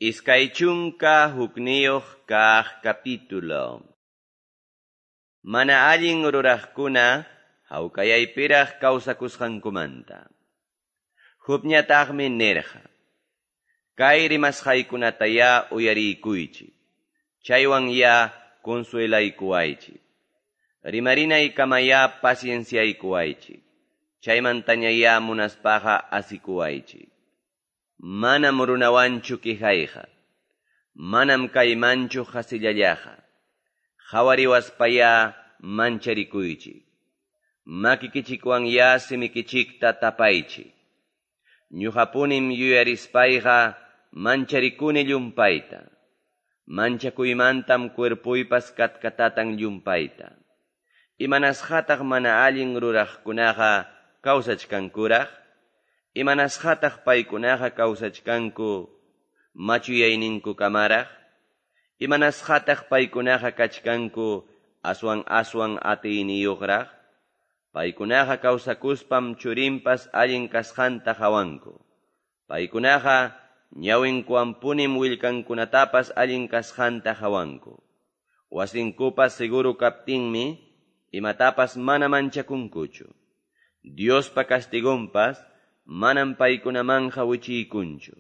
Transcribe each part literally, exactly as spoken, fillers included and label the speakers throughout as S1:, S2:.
S1: Iskay chunka hukniyuq kaq capítulo. Mana allin ruraqkuna hawkayaypiraq kawsakusqankumanta. Jobñataqmi nirqa: Kay rimasqaykunatayá uyariykuychik, chaywan ya consuelaykuwaychik. Rimarinaykamayá pacienciaykuwaychik, chaymantañayá munaspaqa asikuwaychik. Manam runawanchu quejayqa, manam kaymanchu qasillallaqa. Qhawariwaspayá mancharikuychik, makikichikwanyá simikichikta tapaychik. Ñuqapunim yuyarispayqa mancharikuni llumpayta, manchakuymantam cuerpuypas katkatatan llumpayta. Imanasqataq mana allin ruraqkunaqa kawsachkankuraq? Imanasqataq paykunaqa kawsachkanku machuyayninkukamaraq? Imanasqataq paykunaqa kachkanku aswan aswan atiyniyuqraq? Paykunaqa kawsakuspam churinpas allin kasqanta qawanku. Paykunaqa ñawinkuwanpunim willkankunatapas allin kasqanta qawanku. Wasinkupas seguro kaptinmi imatapas mana manchakunkuchu. Diospa castigonpas manam paykunamanja wichiykunchu.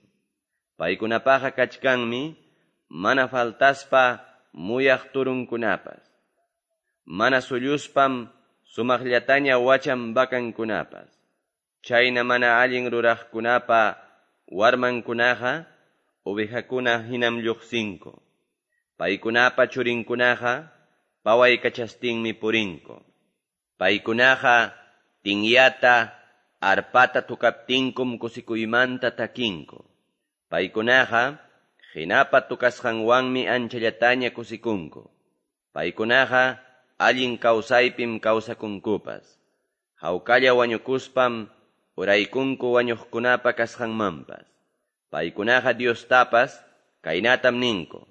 S1: Paykunapaqa kachkanmi mana faltaspa muyaq turunkunapas. Mana sulluspam sumaqllataña wachan vacankunapas. Chayna mana allin ruraqkunapa warmankunaqa ovejakuna hinam lluqsinku. Paykunapa churinkunaqa pawaykachastinmi purinku. Paykunaqa tinyata arpata tukaptinkum kusikuymanta takinku. Paykunaqa hinapa tukasqanwanmi anchallataña kusikunku. Paykunaqa allin kawsaypim kawsakunkupas. Hawkalla wañukuspam uraykunku wañuqkunapa kasqanmanpas. Paykunaqa Diostapas kaynatam ninku: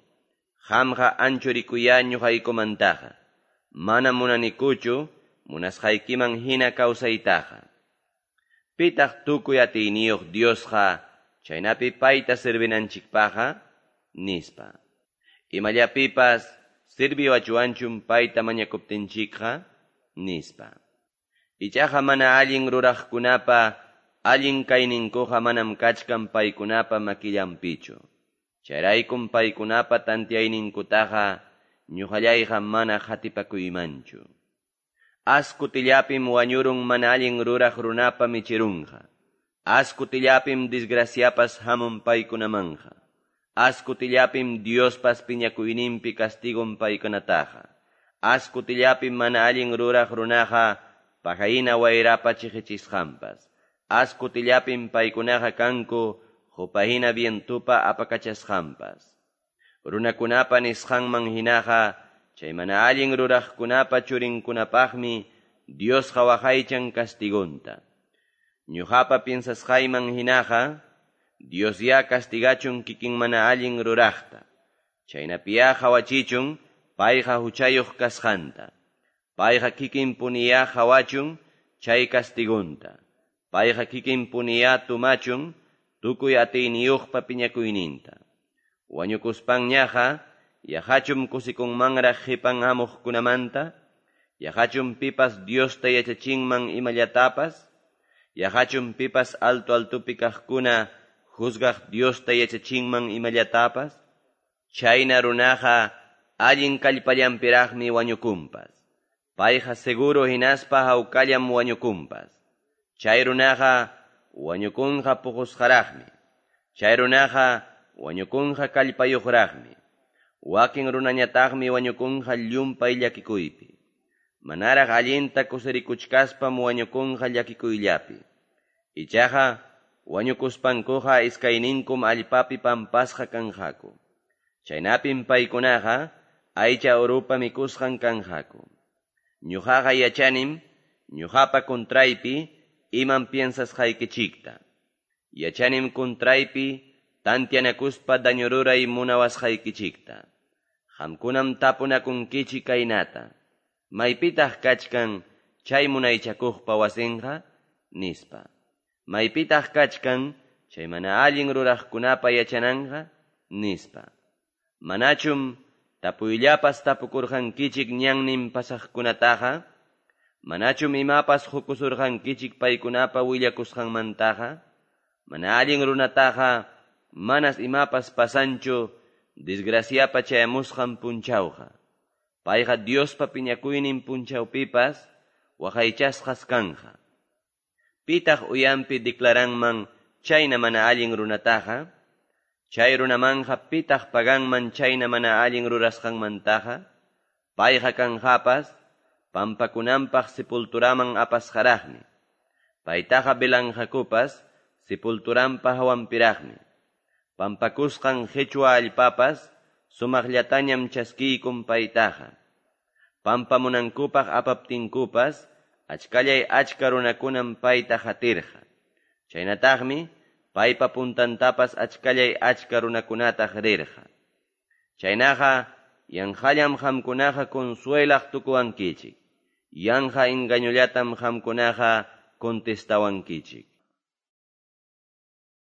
S1: Qamqa anchurikuyá ñuqaykumantaqa. Mana munanikuchu munasqaykiman hina kawsaytaqa. Pitaq tukuy atiyniyuq Diosqa chaynapi payta servinanchikpaqa? Nispa. Imallapipas sirviwachuanchum payta mañakuptinchikqa? Nispa. Ichaqa mana allin ruraqkunapa allin kayninkuqa manam kachkan paykunapa makillanpichu. Chayraykum paykunapa tantiayninkutaqa ñuqallayqa mana qatipakuymanchu. Askutillapim wañurun mana allin ruraq runapa michirunqa. Askutillapim desgraciapas hamun paykunamanja. Askutillapim Diospas piñakuyninpi castigon paykunataqa. Askutillapim mana allin ruraq runaqa pajahina wayrapa chiqichisqanpas. Askutillapim paykunaqa kanku qupahina vientupa apakachasqanpas. Runakunapa nisqanman hinaqa chay mana allin ruraqkunapa churinkunapaqmi Diosqa waqaychan castigonta. Ñuqapa piensasqayman hinaqa Dios ya castigachun kikin mana allin ruraqta. Chaynapiya qawachichun payqa huchayuq kasqanta. Payqa kikin puniya qawachun chay castigonta. Payqa kikin puniya tumachun tukuy atiyniyuqpa piñakuyninta. Wañukuspanñaqa yaqachum kusikunmanraq qipan hamuqkunamanta? Yaqachum pipas Diosta yachachinman imallatapas? Yaqachum pipas alto altupi kaqkuna juzgaq Diosta yachachinman imallatapas? Chayna runaqa allin kallpallanpiraqmi wañukunpas. Payqa seguro hinaspa hawkallam wañukunpas. Chay runaqa wañukunqa puqusqaraqmi. Chay runaqa wañukunqa kallpayuqraqmi. Wakin runañataqmi wañukunqa llumpay llakikuypi. Manaraq allinta kusirikuchkaspam wañukunqa llakikuyllapi. Ichaqa wañukuspankuqa iskayninkum allpapi pampasqa kanqaku. Chaynapim paykunaqa aycha urupa mikusqan kanqaku. Ñuqaqa yachanim ñuqapa contraypi imam piensasqaykichikta. Yachanim contraypi tantianakuspa daño ruray munawasqaykichikta. Qamkunam tapunakunkichik kaynata: Maypitaq kachkan chay munaychakuqpa wasinqa? Nispa. Maypitaq kachkan chay mana allin ruraqkunapa yachananqa? Nispa. Manachum tapuyllapas-tapukurqankichik ñannin pasaqkunataqa? Manachum imapas qokusurqankichik paykunapa willakusqanmantaqa? Mana allin runataqa manas imapas pasanchu desgraciapa chayamusqan punchawqa. Payqa Diospa piñakuynin punchawpipas waqaychasqas kanqa. Pitaq uyanpi declaranman chayna mana allin runataqa? Chay runamanqa pitaq paganman chayna mana allin rurasqanmantaqa? Payqa kanqapas pampakunanpaq sepulturaman apasqaraqmi. Paytaqa velanqakupas sepulturanpa hawanpiraqmi. Pampakusqan qechwa allpapas sumaqllatañam chaskiykun paytaqa. Pampamunankupaq apaptinkupas achkallay achka runakunam payta qatirqa. Chaynataqmi paypa puntantapas achkallay achka runakunataq rirqa. Chaynaqa yanqallam qamkunaqa consuelaq tukuwankichik. Yanqa engañollatam qamkunaqa contestawankichik.